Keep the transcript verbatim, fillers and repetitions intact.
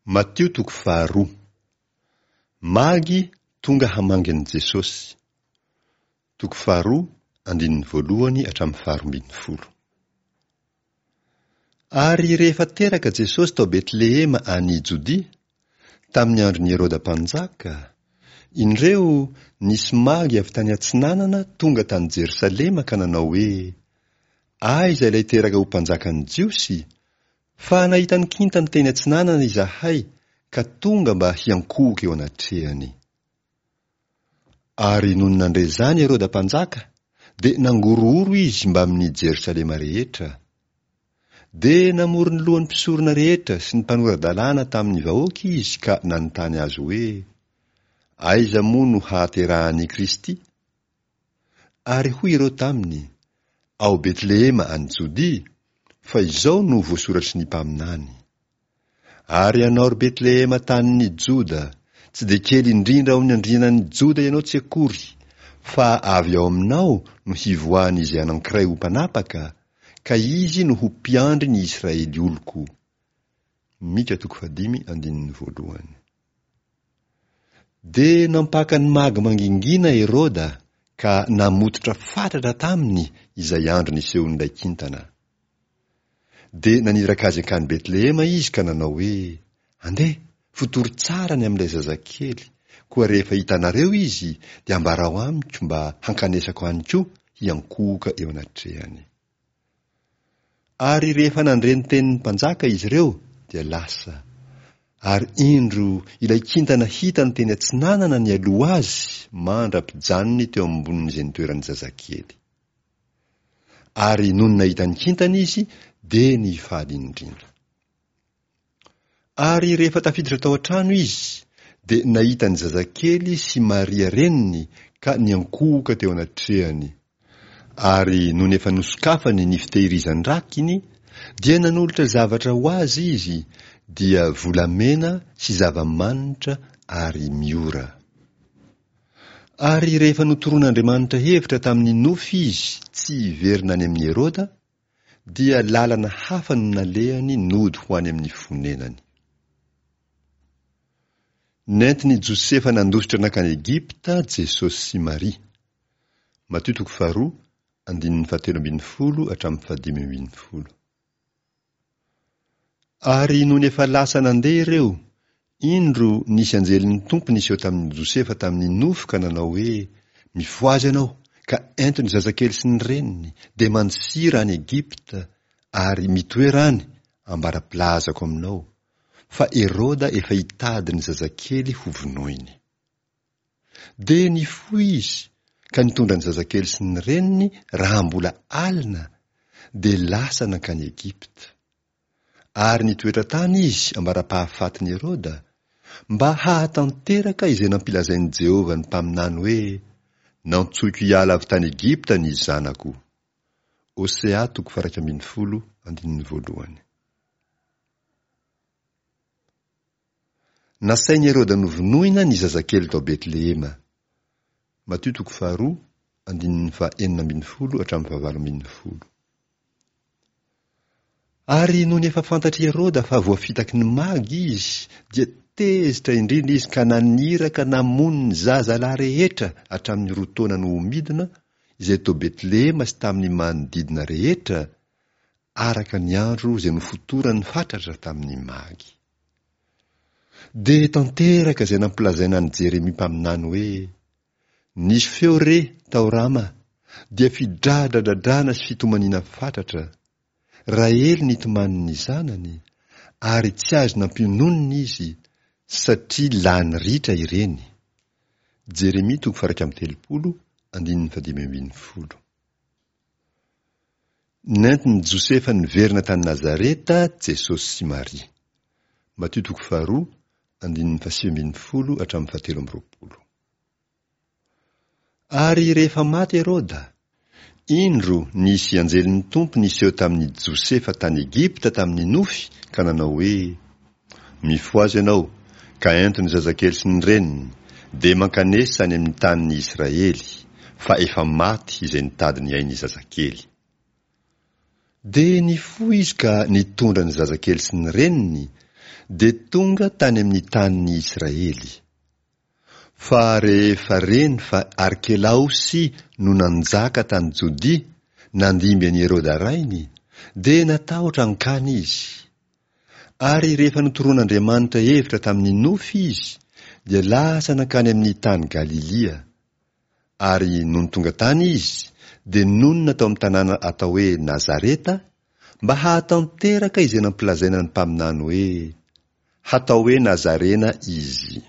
Matio toko faharoa. Magy tonga hamangy an'i Jesosy. Toko faharoa, andininy voalohany hatramin'ny faharoa ambin'ny folo. Ary rehefa teraka Jesosy tao Betlehema any Jodia, tamin'ny andron'i Heroda mpanjaka, indreo nisy magy avy tany atsinanana tonga tany Jerosalema ka nanao hoe: Aiza ilay teraka ho mpanjakan'ny Jiosy? Fa nahita ny kintany teny atsinanana izahay ka tonga mba hiankohoka eo anatrehany. Ary nony nandre izany Heroda mpanjaka, dia nangorohoro izy mbamin'ny Jerosalema rehetra. Dia namory ny lohan'ny mpisorona rehetra sy ny mpanora-dalàna tamin'ny vahoaka izy ka nanontany azy hoe: Aiza moa no hahaterahan'i Kristy? Ary hoy ireo taminy: Ao Betlehema any Jodia, fa izao no voasoratry ny mpaminany. Ary ianao ry Betlehema tanin'ny Joda, tsy dia kely indrindra ao amin'ny andrianan'ny Joda ianao tsy akory, fa avy ao aminao no hivoahan'izay anankiray ho mpanapaka, ka izy no ho mpiandry ny Israely oloko. Mika toko fahadimy andininy voalohany. Dia nampaka ny magy mangingina Heroda ka namototra fatratra taminy izay andro nisehoan'ilay kintana. Dia naniraka azy hankany Betlehema izy ka nanao hoe: Andeha, fotory tsara ny amin'ilay zazakely, koa rehefa hitanareo izy dia ambarao amiko mba hankanesako any koa hiankohoka eo anatrehany. Ary rehefa nandre ny tenin'ny mpanjaka izy ireo dia lasa. Ary indro ilay kintana hitany teny atsinanana nialoha azy mandra-pijanony teo ambonin'izay nitoeran'ny zazakely. Ary nony nahita ny kintana izy dia nifaly indrindra. Ary rehefa tafiditra tao an-trano izy dia nahita ny zazakely sy Maria reniny ka niankohoka teo anatrehany. Ary nony efa nosokafany ny fitehirizan-drakiny dia nanolotra zavatra ho azy izy, dia volamena sy zava-manitra ary miora. Ary rehefa notoroan'Andriamanitra hevitra tamin'ny nofy izy tsy hiverina any amin'i Heroda, dia lalana hafa no nalehany nody ho any amin'ny fonenany. Nentin'i Josefa nandositra nankany Egypta Jesosy sy Maria. Matio toko faharoa, andininy fahatelo ambin'ny folo hatramin'ny fahadimy ambin'ny folo. Ary nony efa lasa nandeha ireo, indro nisy anjelin'ny Tompo niseho tamin'i Josefa tamin'ny nofy ka nanao hoe: Mifohaza ianao, ka ento ny zazakely sy ny reniny, dia mandosira any Egypta, ary mitoera any, ambara-pilazako aminao, fa Heroda efa hitady ny zazakely hovonoiny. Dia nifoha izy, ka nitondra ny zazakely sy ny reniny raha mbola alina, dia lasa nankany Egypta. Ary nitoetra tany izy ambara-pahafatin'i Heroda, mba hahatanteraka izay nampilazain'i Jehovah ny mpaminany hoe: Nantsoiko hiala avy tany Egypta ny zanako. Hosea toko faha-iraika ambin'ny folo, andininy voalohany. Nasain'i Heroda novonoina ny zazakely tao Betlehema. Matio toko faharoa, andininy faha-enina ambin'ny folo hatramin'ny fahavalo ambin'ny folo. Ary nony efa fantatr'i Heroda fa voafitaky ny magy izy, dia tezitra indrindra izy ka naniraka namono ny zazalahy rehetra hatramin'ny roa taona no ho midina, izay tao Betlehema sy tamin'ny manodidina rehetra, araka ny andro izay nofotorany fatratra tamin'ny magy. Dia tanteraka izay nampilazaina an'i Jeremia mpaminany hoe: Nisy feo re tao Rama, dia fidradradradrana sy fitomaniana fatratra. Rahely nitomany ny zanany, ary tsy azo nampiononina izy, satria lany ritra ireny. Jeremia toko faha-iraika amby telopolo, andininy fahadimy ambin'ny folo. Nentin'i Josefa niverina tany Nazareta Jesosy sy Maria. Matio toko faharoa, andininy fahasivy ambin'ny folo hatramin'ny fahatelo amby roapolo. Ary rehefa maty Heroda, indro nisy anjelin'ny Tompo niseho tamin'i Josefa tany Egypta tamin'ny nofy ka nanao hoe: Mifohaza ianao, ka ento ny zazakely sy ny reniny, dia mankanesa any amin'ny tanin'ny Israely, fa efa maty izay nitady ny ain'ny zazakely. Dia nifoha izy ka nitondra ny zazakely sy ny reniny, dia tonga tany amin'ny tanin'ny Israely. Fa rehefa reny fa Arkelaosy no nanjaka tany Jodia, nandimby an'i Heroda rainy, dia natahotra hankany izy. Ary rehefa notoroan'Andriamanitra hevitra tamin'ny nofy izy, dia lasa nankany amin'ny tany Galilia. Ary nony tonga tany izy, dia nonina tao amin'ny tanàna atao hoe Nazareta, mba hahatanteraka izay nampilazaina ny mpaminany hoe, Hatao hoe Nazarena izy.